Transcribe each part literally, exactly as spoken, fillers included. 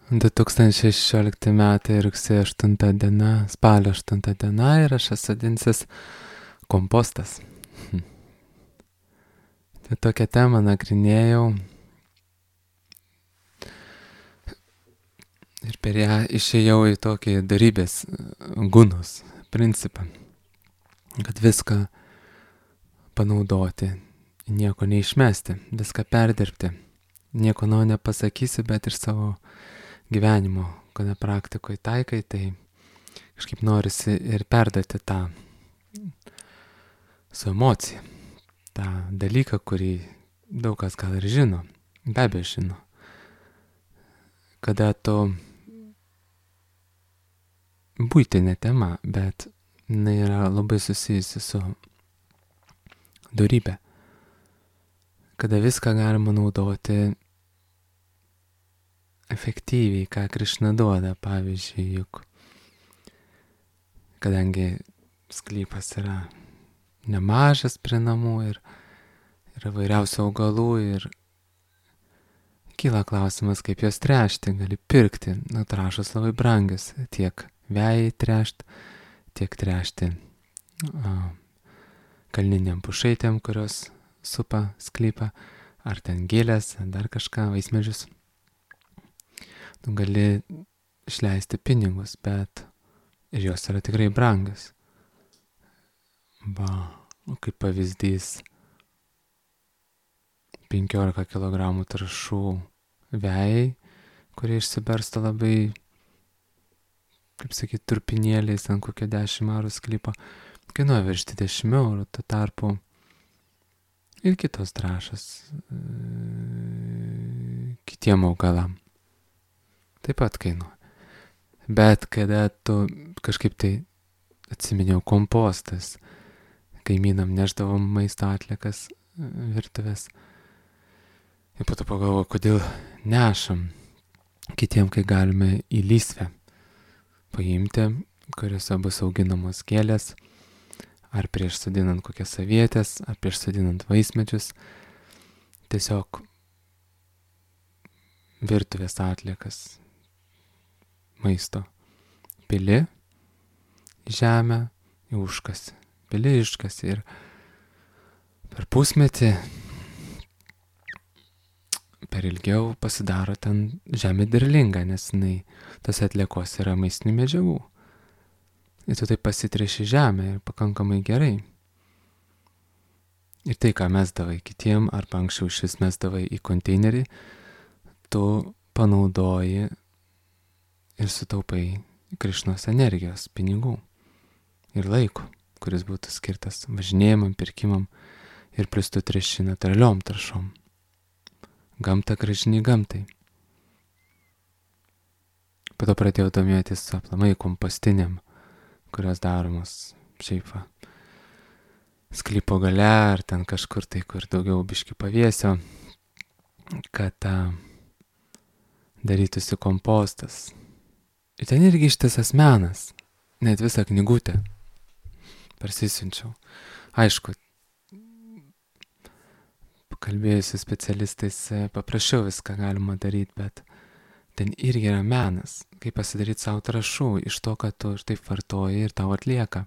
du tūkstančiai šešiolikti metai rugsėjo aštunta diena, spalio aštunta diena ir aš esu dinsis kompostas. Hm. Tai tokią temą nagrinėjau ir per ją išėjau į tokį darybės gunos principą, kad viską panaudoti, nieko neišmesti, viską perdirbti. Nieko naujo nepasakysi, bet ir savo gyvenimo, kada praktikoje taikai, tai kažkaip norisi ir perduoti tą su emocija, tą dalyką, kurį daug kas gal ir žino, be abejo žino. Kada tu buitinė tema, bet jinai yra labai susijusi su dorybė. Kada viską galima naudoti efektyviai, ką Krišna duoda, pavyzdžiui, juk kadangi sklypas yra nemažas prie namų ir yra vairiausių augalų ir kyla klausimas, kaip juos tręšti, gali pirkti, nu, trąšos labai brangios, tiek vejai tręšti, tiek tręšti a, kalniniam pušaitėm, kurios supa sklypą, ar ten gėlės, ar dar kažką, vaismedžius. Tu gali išleisti pinigus, bet ir jos yra tikrai brangios. Va, kaip pavyzdys, penkiolika kilogramų trąšų vejai, kurie išsibarsto labai, kaip sakyti, turpinėliais ant kokio dešimt eurų sklypo, kainuoja virš dvidešimt eurų, tuo tarpu ir kitos trąšos e, kitiem augalam taip pat kainuoja. Bet kada tu kažkaip tai atsiminiau kompostas, kaimynam neždavom maisto atliekas virtuvės. Ir po to pagalvojau, kodėl nešam kitiem, kai galime į lysvę paimti, kuriuose bus auginamos gėlės, ar prieš sodinant kokias avietės, ar prieš sodinant vaismedžius, tiesiog virtuvės atliekas maisto pili žemę, užkasi, pili iškasi ir per pusmetį, per ilgiau pasidaro ten žemė derlinga, nes jinai, tas atliekos yra maistinių medžiagų. Ir tu taip pasitreši žemę ir pakankamai gerai. Ir tai, ką mesdavai kitiem, arba anksčiau šis mesdavai į konteinerį, tu panaudoji ir sutaupai Krišnos energijos, pinigų ir laiko, kuris būtų skirtas važinėjimam, pirkimam ir plus tu treši natūraliom taršom. Gamta gražini gamtai. Po to pradėjau domėtis aplamai kompostiniam, kurios daromos šiaip va, sklypo gale ar ten kažkur tai, kur daugiau biški pavėsio, kad ta, darytųsi kompostas. Ir ten irgi ištisas menas, net visą knygutę parsisiunčiau. Aišku, pakalbėjusi specialistais paprašiau viską galima daryti, bet ten irgi yra menas, kaip pasidaryti savo trąšų iš to, kad tu ir taip vartoji ir tau atlieka.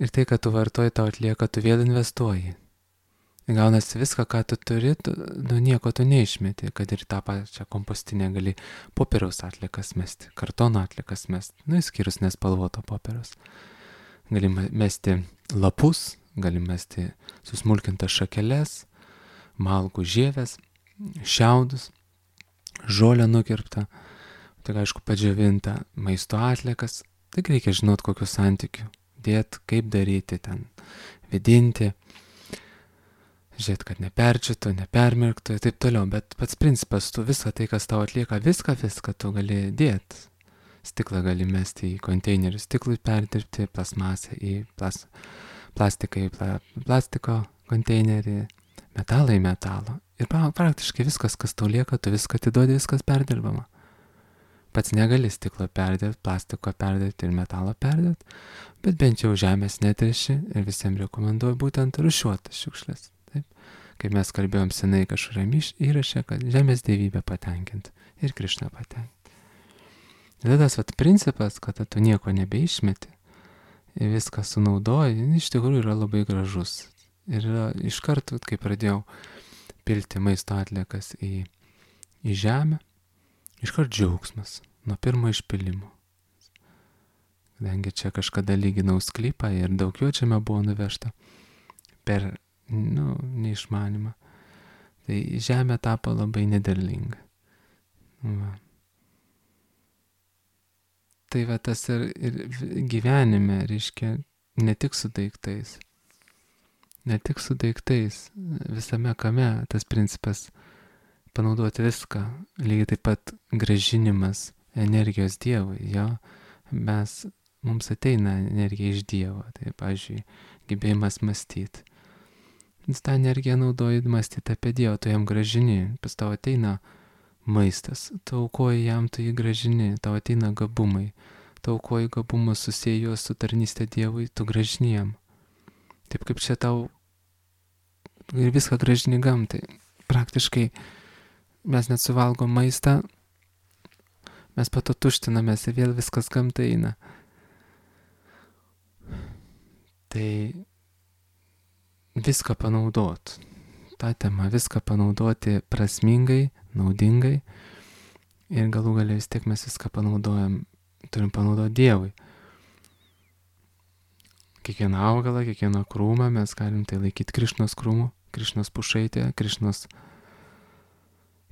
Ir tai, kad tu vartoji, tau atlieka, tu vėl investuoji. Ir gaunasi viską, ką tu turi, tu, nu nieko tu neišmeti, kad ir tą pačią kompostinę gali popieriaus atliekas mesti, kartono atliekas mesti, nu įskyrus nespalvoto popieriaus. Gali mesti lapus, gali mesti susmulkintas šakeles, malkų žievės, šiaudus, žolę nukirptą, tai aišku padžiavintą maisto atliekas, tik reikia žinot kokiu santykiu, dėt, kaip daryti ten, vidinti, žiūrėt, kad neperčiutų, nepermirktų ir taip toliau, bet pats principas, tu viską tai, kas tau atlieka, viską, viską tu gali dėt. Stiklą gali mesti į konteinerių, stiklui perdirbti, plasmasę į plas, plastiką į pla, plastiko konteinerį, metalą į metalo. Ir praktiškai viskas, kas tau lieka, tu viską atiduodi, viskas perdirbama. Pats negali stiklo perdirbti, plastiko perdirbti ir metalo perdirbti, bet bent jau žemės netriši ir visiems rekomenduoju būtent rūšiuotas šiukšlės. Taip? Kaip mes kalbėjom senai kažkuriam įraše, kad žemės dievybę patenkinti. ir Krišną patenkinti. Ir tas vat principas, kad tu nieko nebeišmeti, viską sunaudoji, iš tikrųjų yra labai gražus. Ir yra iš karto, kai pradėjau pilti maisto atliekas į, į žemę, iš karto džiaugsmas nuo pirmo išpilimo. Kadangi čia kažkada lyginau sklypą ir daug jo čia buvo nuvežta per, nu, neišmanimą, tai žemė tapo labai nederlinga. Va. Tai va tas ir, ir gyvenime, reiškia, ne tik su daiktais. Ne tik su daiktais, visame kame tas principas panaudoti viską. Lygiai taip pat grąžinimas energijos Dievui, jo. Mes, mums ateina energija iš Dievo, tai, pavyzdžiui, gebėjimas mąstyti. Jis tą energiją naudoji mąstyti apie Dievą, tu jam grąžini, pas tau ateina maistas, tu aukoji jam, tu jį grąžini, tau ateina gabumai, tu aukoji gabumus, susieji juos su tarnystė Dievui, tu grąžini jam. Taip kaip čia tau ir viską grąžini gamtai. Praktiškai mes net suvalgom maistą, mes po to tuštinamės ir vėl viskas gamtai eina. Tai viską panaudot, tą temą, viską panaudoti prasmingai, naudingai ir galų gale vis tiek mes viską panaudojam, turim panaudoti Dievui. Kiekvieną augalą, kiekvieną krūmą mes galim tai laikyti Krišnos krūmų, Krišnos pušaitė, Krišnos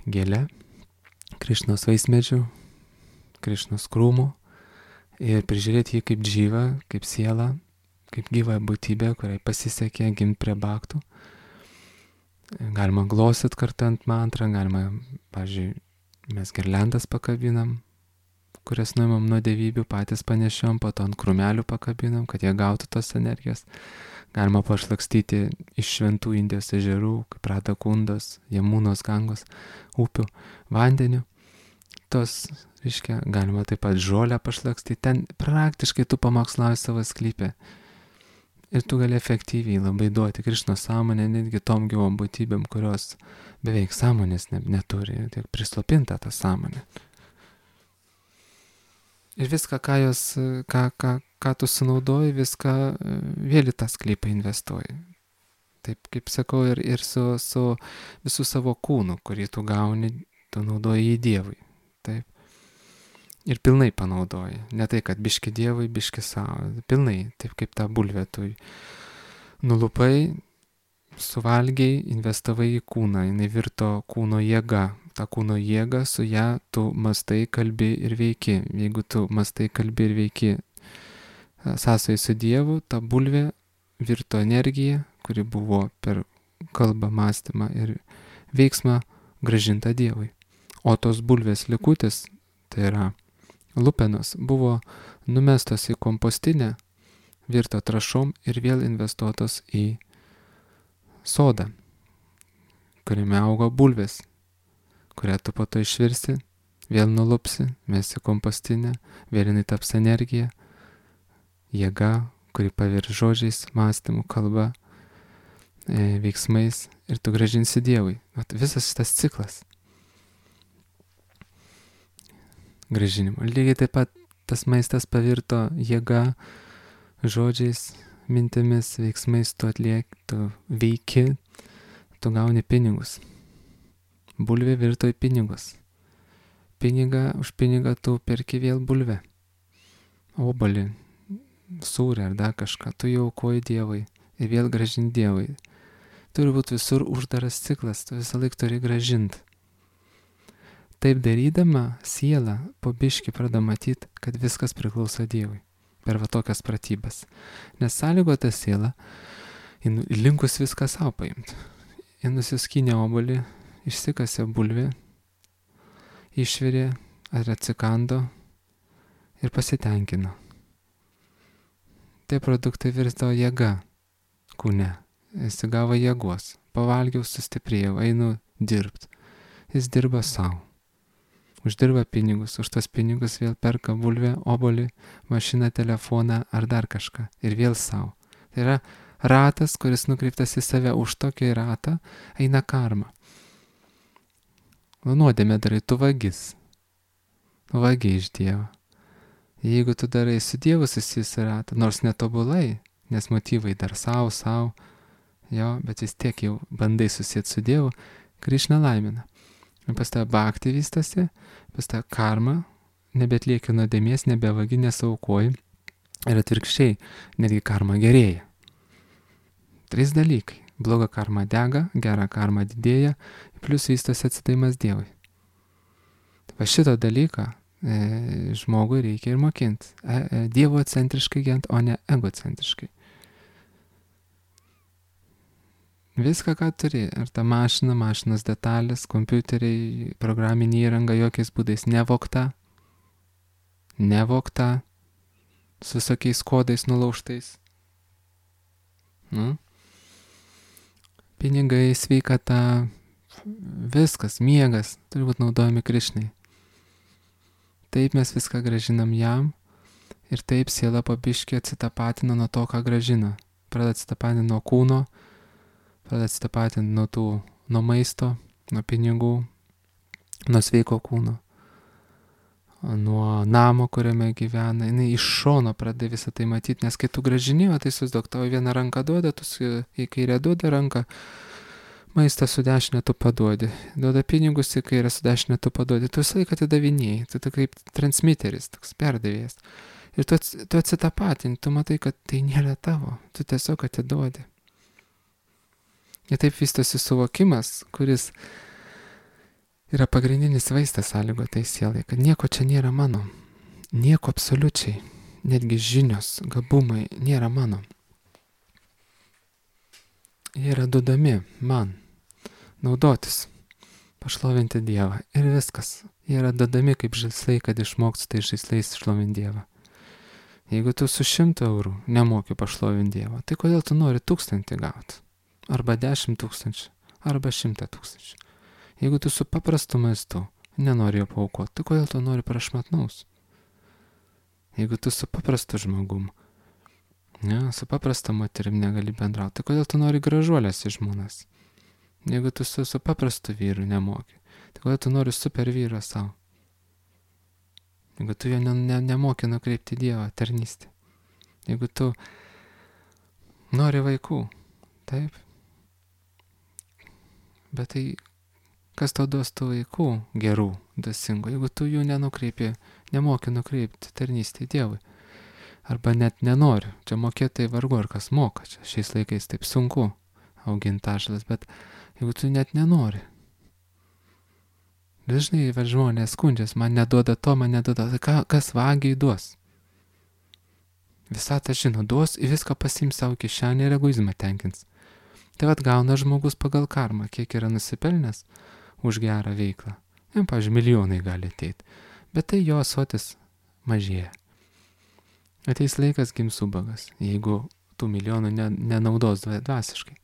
gėlė, Krišnos vaismedžių, Krišnos krūmų ir prižiūrėti jį kaip džyvą, kaip sielą, kaip gyvą būtybę, kuriai pasisekė gimti prie baktų. Galima glostyt kartant mantrą, galima, pavyzdžiui, mes girliandas pakabinam, kurias nuimam nuo dievybių, patys panešiom, po to ant krūmelių pakabinam, kad jie gautų tos energijos. Galima pašlakstyti iš šventų Indijos ežerų, kaip Radakundos, Jamūnos, Gangos, upių, vandeniu. Tos, reiškia, galima taip pat žolę pašlakstyti. Ten praktiškai tu pamokslauji savo sklypę. Ir tu gali efektyviai labai duoti Krišnos sąmonę netgi tom gyvom būtybėm, kurios beveik sąmonės ne, neturi, tiek prislopinta ta sąmonė. Ir viską, ką, jos, ką, ką, ką tu sunaudoji, viską vėl į tą sklypą investuoji. Taip kaip sakau, ir, ir su, su visų savo kūnu, kurį tu gauni, tu naudoji į Dievui. Taip. Ir pilnai panaudoji. Ne tai, kad biški Dievui, biški savo. Pilnai, taip kaip tą bulvę tu nulupai, suvalgiai, investavai į kūną. Jis virto kūno jėga. Ta kūno jėga, su ją tu mastai, kalbi ir veiki. Jeigu tu mastai, kalbi ir veiki sąsai su Dievu, ta bulvė virto energija, kuri buvo per kalbą, mąstymą ir veiksmą grąžinta Dievui. O tos bulvės likutis, tai yra lupenos, buvo numestos į kompostinę, virto trąšom ir vėl investuotos į sodą, kuriame augo bulvės, kurią tu po to išvirsi, vėl nulupsi, mesi kompostinę, vėl jinai taps energija, jėga, kuri pavirs žodžiais, mąstymu, kalba, e, veiksmais ir tu grąžinsi Dievui. Vat visas šitas ciklas grąžinimo. Lygiai taip pat tas maistas pavirto jėga, žodžiais, mintimis, veiksmais, tu atlieki, tu veiki, tu gauni pinigus. Bulvė virto į pinigus. Pinigą, už pinigą tu perki vėl bulvę. Obuolį, sūrį ar dar kažką. Tu jau aukoji Dievui ir vėl grąžini Dievui. Turi būti visur uždaras ciklas, tu visą laiką turi grąžinti. Taip darydama, siela po biškį pradeda matyti, kad viskas priklauso Dievui. Per va tokias pratybas. Nes sąlygota siela, linkus viską savo paimti. Ji nusiskynė obuolį, išsikasė bulvę, išvirė ar atsikando ir pasitenkino. Tie produktai virsto jėga kūne. Jis gavo jėgos. Pavalgiau, sustiprėjau, einu dirbti. Jis dirba savo. Uždirba pinigus, už tas pinigus vėl perka bulvę, obuolį, mašiną, telefoną ar dar kažką. Ir vėl savo. Tai yra ratas, kuris nukreiptas į save. Už tokį ratą eina karma. nuodėmę darai, tu vagis. Vagiai iš Dievo. Jeigu tu darai su Dievu susijusį ratą, nors netobulai, nes motyvai dar savo, savo, jo, bet vis tiek jau bandai susijęti su Dievu, Krišna laimina. Ir pas tave bhakti vystosi, pas tave karma, nebetlieki nuodėmės, nebevagi, nesaukoji. Ir atvirkščiai, netgi karma gerėja. Trys dalykai. Bloga karma dega, gera karma didėja, plus vystosi atsidaimas Dievui. Va šito dalyką e, žmogui reikia ir mokinti. E, e, Dievo centriškai gent, o ne egocentriškai. Viską, ką turi, ar ta mašina, mašinos detalės, kompiuteriai, programinė įranga, jokiais būdais nevokta, nevokta, su visokiais kodais nulaužtais. Nu? Pinigai, sveikata, viskas, miegas, turi būti naudojami Krišnai. Taip mes viską gražinam jam ir taip siela pabiškiai atsitapatina nuo to, ką gražina. Pradeda atsitapatinti nuo kūno, pradeda atsitapatinti nuo tų, nuo maisto, nuo pinigų, nuo sveiko kūno, nuo namo, kuriame gyvena. Jis iš šono pradeda visą tai matyti, nes kai tu gražinėjo, tai susidok, tavo vieną ranką duoda, tu į kairę duoda ranką, maistą su dešinė tu paduodi, duoda pinigus į kairę su dešinė tu paduodi, tu visą laiką atidavinėjai, tu, tu kaip transmiteris, toks perdavėjas. Ir tu, tu atsitapatinti, tu matai, kad tai nėra tavo, tu tiesiog atiduodi. Ir taip vystosi suvokimas, kuris yra pagrindinis vaistas sąlygo tai sielai, kad nieko čia nėra mano, nieko absoliučiai, netgi žinios, gabumai nėra mano. Jie yra duodami man, naudotis, pašlovinti Dievą ir viskas. Jie yra duodami kaip žaislai, kad išmoktų tai žaislais šlovinti Dievą. Jeigu tu su šimtu eurų nemoki pašlovinti Dievą, tai kodėl tu nori tūkstantį gauti? Arba dešimt tūkstančių, arba šimtą tūkstančių. Jeigu tu su paprastu maistu nenori jo paaukoti, tai kodėl tu nori prašmatnaus? Jeigu tu su paprastu žmogum, ne, su paprasta moterim negali bendrauti, tai kodėl tu nori gražuolės iš žmonas? Jeigu tu su, su paprastu vyru nemoki, tai kodėl tu nori super vyrą savo? Jeigu tu jo ne, ne, nemoki nukreipti Dievą, tarnystę. Jeigu tu nori vaikų, taip. Bet tai kas tau duos tų vaikų gerų, dvasingų, jeigu tu jų nenukreipi, nemoki nukreipti tarnystę Dievui. Arba net nenori. Čia mokėtai vargu ar kas moka. Čia šiais laikais taip sunku auginti ašalas, bet jeigu tu net nenori. Dažnai žmonės skundžias, man neduoda to, man neduoda. Tai ką, kas vagiai duos? Visą tą žino, duos ir viską pasiims savo kišenę ir egoizmą tenkins. Tai vat gauna žmogus pagal karmą, kiek yra nusipelnęs už gerą veiklą. Jam, pavyzdžiui, milijonai gali ateiti. Bet tai jo ąsotis mažėja. Ateis laikas gims ubagas, jeigu tų milijonų ne, nenaudos dvasiškai.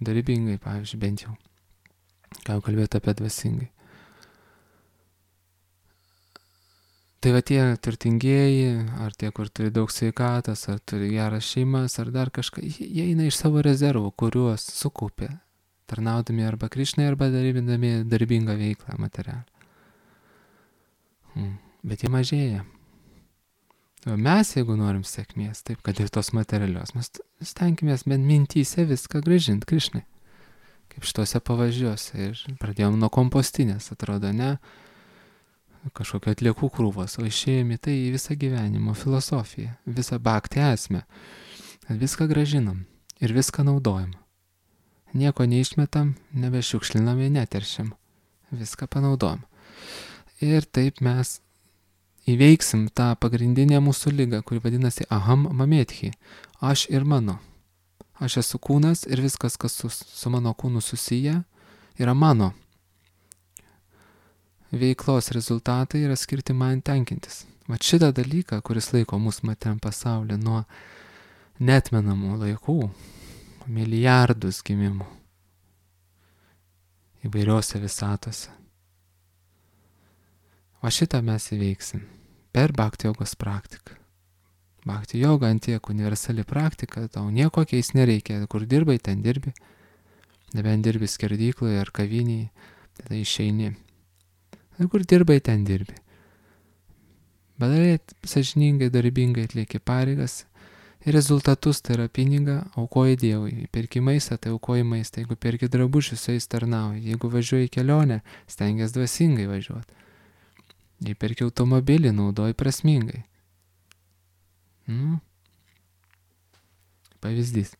Darybingai, pavyzdžiui, bent jau. Ką jau kalbėti apie dvasingai. Tai va tie turtingieji, ar tie, kur turi daug sveikatos, ar turi geras šeimas, ar dar kažką, jie eina iš savo rezervų, kuriuos sukaupė, tarnaudami arba Krišnai, arba darybindami darbingą veiklą materialą. Hmm. Bet jie mažėja. O mes, jeigu norim sėkmės, taip, kad ir tos materialios, mes stenkimės bent mintyse viską grąžinti Krišnai. Kaip šituose pavažiuose. Ir pradėjom nuo kompostinės, atrodo, ne kažkokio atliekų krūvos, o išėjome tai į visą gyvenimo filosofiją, visą bhakti esmę. Viską grąžinam ir viską naudojam. Nieko neišmetam, nebešiukšlinam ir neteršiam. Viską panaudojam. Ir taip mes įveiksim tą pagrindinę mūsų ligą, kuri vadinasi aham mametchi. Aš ir mano. Aš esu kūnas ir viskas, kas su, su mano kūnu susiję, yra mano. Veiklos rezultatai yra skirti man tenkintis. Vat šitą dalyką, kuris laiko mūsų materiam pasaulį nuo neatmenamų laikų, milijardus gimimų įvairiose visatose. O šitą mes įveiksim per bhakti jogos praktiką. Bhakti joga ant tiek universali praktika, tau nieko keis nereikia, kur dirbai, ten dirbi. Nebent dirbi skerdykloje ar kavinėje, tada išeini. Ir kur dirbai, ten dirbi. Padarai sąžiningai, darbingai atlieki pareigas ir rezultatus, tai yra pinigą, aukoji Dievui. Perki maistą, tai aukoji maistą. Jeigu perki drabužius, su jais tarnauji. Jeigu važiuoji į kelionę, stengiasi dvasingai važiuoti. Jei perki automobilį, naudoji prasmingai. Nu. Pavyzdys.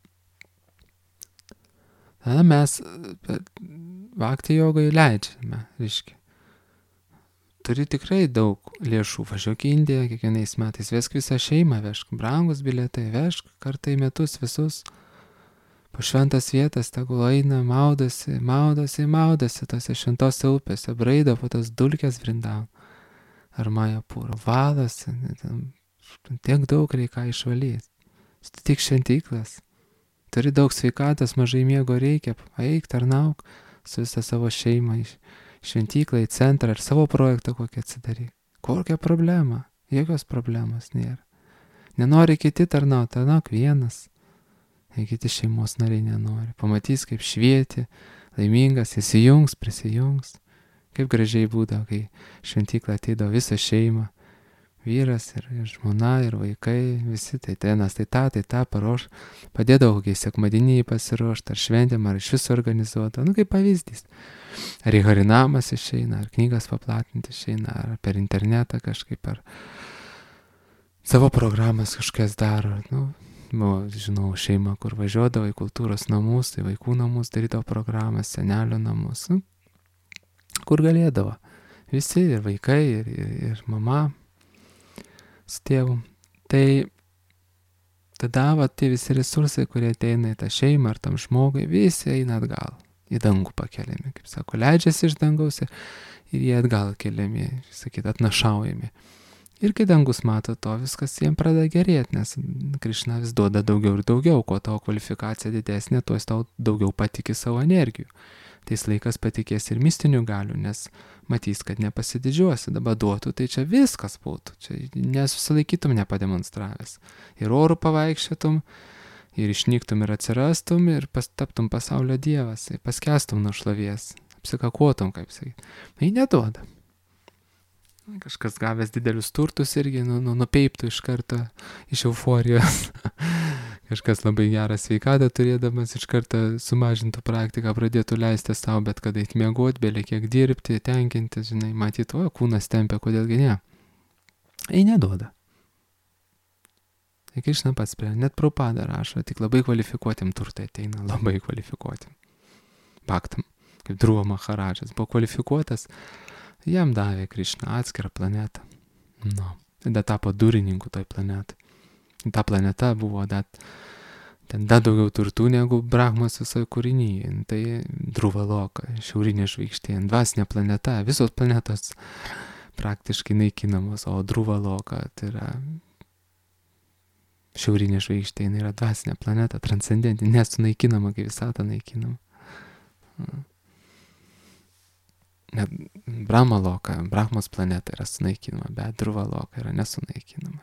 Tada mes bhakti jogai leidžiame, reiškia. Turi tikrai daug lėšų, važiuok į Indiją kiekvienais metais, vesk visą šeimą, vežk brangus bilietai, vežk kartą į metus visus. Po šventas vietas tegul eina, maudosi, maudosi, maudosi tose šventose upėse, braido po tas dulkes Vrindavan. Ar Majapūro, valosi, tiek daug reikia išvalyti. Tik šventyklas. Turi daug sveikatos, mažai miego reikia, eik, tarnauk su visą savo šeimą iš šventyklą į centrą ir savo projektą kokį atsidaryk. Kokia problema? Jokios problemos nėra. Nenori kiti tarnauti, tarnauk vienas. Jei kiti šeimos nariai nenori. Pamatys, kaip švieti, laimingas, įsijungs, prisijungs. Kaip gražiai būdavo, kai šventyklą ateidavo visą šeimą. Vyras ir, ir žmona, ir vaikai, visi tai tenas, tai tą, tai tą paruoš. Padėdavo kokiai sekmadieniai pasiruošti, ar šventėm, ar iš viso organizuota. Nu, kaip pavyzdys. Ar į harinamas išeina, ar knygas paplatinti išeina, ar per internetą kažkaip, ar savo programas kažkas daro. Nu, nu, žinau, šeima, kur važiuodavo į kultūros namus, tai vaikų namus darydavo programas, senelio namus. Nu, kur galėdavo. Visi, ir vaikai, ir, ir, ir mama su tėvu. Tai tada va, tie visi resursai, kurie ateina į tą šeimą ar tam žmogui, visi eina atgal. Į dangų pakeliami, kaip sako, leidžiasi iš dangaus ir jie atgal keliami, sakyt, atnašaujami. Ir kai dangus mato to, viskas jiems pradeda gerėti, nes Krišna vis duoda daugiau ir daugiau, kuo tavo kvalifikacija didesnė, tuo jis tau daugiau patikė savo energijų. Tais laikas patikės ir mistinių galių, nes matys, kad nepasididžiuosi, dabar duotų, tai čia viskas būtų, čia nesusilaikytum nepademonstravęs. Ir orų pavaikščiotum, ir išnyktum ir atsirastum, ir taptum pasaulio dievas, paskestum nuo šlovies, apsikakuotum, kaip sakyti. Tai neduoda. Kažkas gavęs didelius turtus irgi nu, nu, nupeiptų iš karto iš euforijos. Kažkas labai gerą sveikatą turėdamas iš karto sumažintų praktiką, pradėtų leisti savo, bet kada eit miegot, bėlė kiek dirbti, tenkinti, žinai, matyti, o, kūnas tempia, kodėlgi ne. Ei, neduoda. Tai Krišna pats prie, net Prabhupada rašo, tik labai kvalifikuotim turtai ateina, labai kvalifikuotim. Bhaktam, kaip Dhruva Maharadžas, buvo kvalifikuotas, jam davė Krišna atskirą planetą. Nu, tada tapo durininku toj planetai. Ta planeta buvo dat, ten dar daugiau turtų negu Brahmos visoje kūrinyje. Tai Dhruva Loka, šiaurinė žvaigždė, dvasinė planeta, visos planetos praktiškai naikinamos, o Dhruva Loka tai yra šiaurinė žvaigždė, jinai yra dvasinė planeta, transcendentinė, nesunaikinama, kaip visata naikinama. Net Brahma Loka, Brahmos planeta yra sunaikinama, bet Dhruva Loka yra nesunaikinama.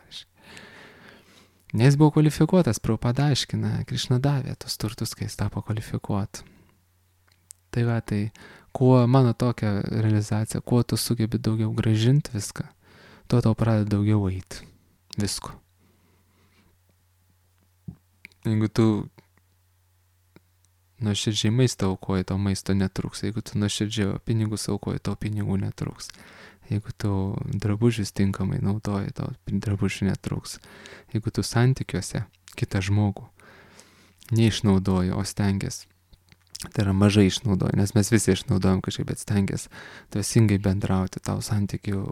Nes buvo kvalifikuotas, Prabhupada aiškina, Krišna davė tos turtus, kai jis tapo kvalifikuot. Tai va, tai kuo mano tokia realizacija, kuo tu sugebi daugiau gražinti viską, tuo tau pradeda daugiau eiti visko. Jeigu tu nuoširdžiai maistą aukoji, tau maisto netruks. Jeigu tu nuoširdžiai pinigus aukoji, tau pinigų netruks. Jeigu tu drabužius tinkamai naudoji, tau drabužių netruks. Jeigu tu santykiuose kitą žmogų neišnaudoji, o stengiasi, tai yra mažai išnaudoji, nes mes visi išnaudojam kažkaip, bet stengiasi dvasingai bendrauti, tau santykių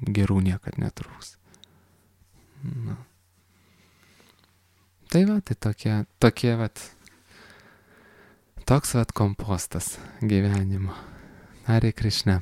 gerų niekad netruks. Na. Tai va, tai tokie, tokie vat, toks vat kompostas gyvenimo. Hare Krishna.